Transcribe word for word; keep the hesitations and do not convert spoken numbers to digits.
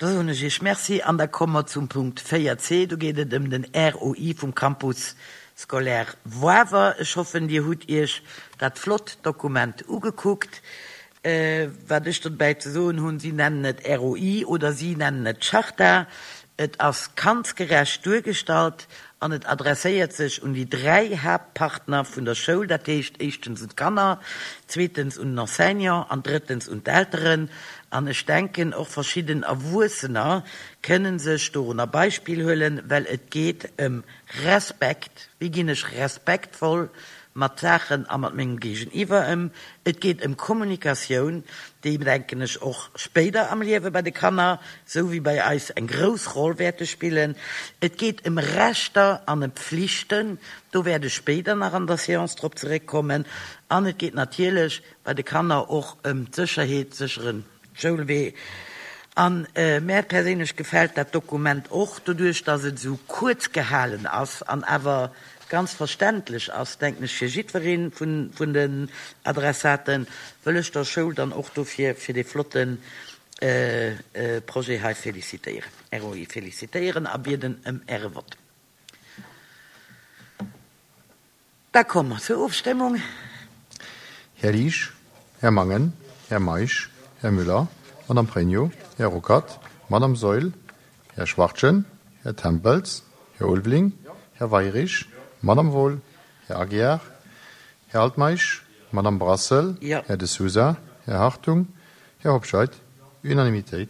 Da soen ech Iech Merci an da komme mer zum Punkt véier C. Do geet et ëm den R O I vum Campus scolaire Woawer. Ech hoffen, Dir hutt Iech dat flott Dokument ugekuckt. Wat ech dobäi ze soen hunn, si nennen et R O I oder si nennen et Charta. Et ass kandsgerecht duergestallt an et adresséiert sech un déi dräi Haaptpartner vun der Schoul, dat heescht éischtens un d'Kanner, zweetens un den Enseignant an drëttens un d'Elteren. An ech denken, och verschidden Erwuessener kënnen sech dorunner Beispill huelen, well et geet ëm Respekt, wéi ginn ech respektvoll mat Saachen a mat mengem Géigeniwwer ëm. Et geet ëm Kommunikatioun, déi, denken ech, och spéider am Liewe bei de Kanner, sou wéi bei eis, eng grouss Roll wäerte spillen. Et geet ëm Rechter an ëm Pflichten, do wäert ech spéider nach an der Séance drop zeréckkommen. An et geet natierlech bei de Kanner och ëm d'Sécherheet, sécheren Schoulwee. An mär perséinlech gefält dat Dokument och doduerch, dass et esou kuerz gehalen ass an awer ganz verständlech ass, denken ech, fir jiddweree vun den Adressaten, wëll ech der Schoul dann och dofir fir dee flotte Projet hei felicitéieren, R O I felicitéieren a bieden ëm Äre Vott. Da komme mer zur Ofstëmmung. Här Liesch, Här Mangen, Här Meisch, Här Müller, Madame Pregno, Här Ruckert, Madame Saeul, Här Schwachtgen, Här Tempels, Här Ulveling, Här Weyrich, Madame Wohl, Här Aguiar, Här Altmeisch, Madame Brassel, Ja. Här De Sousa, Här Hartung, Här Hobscheit. Unanimitéit.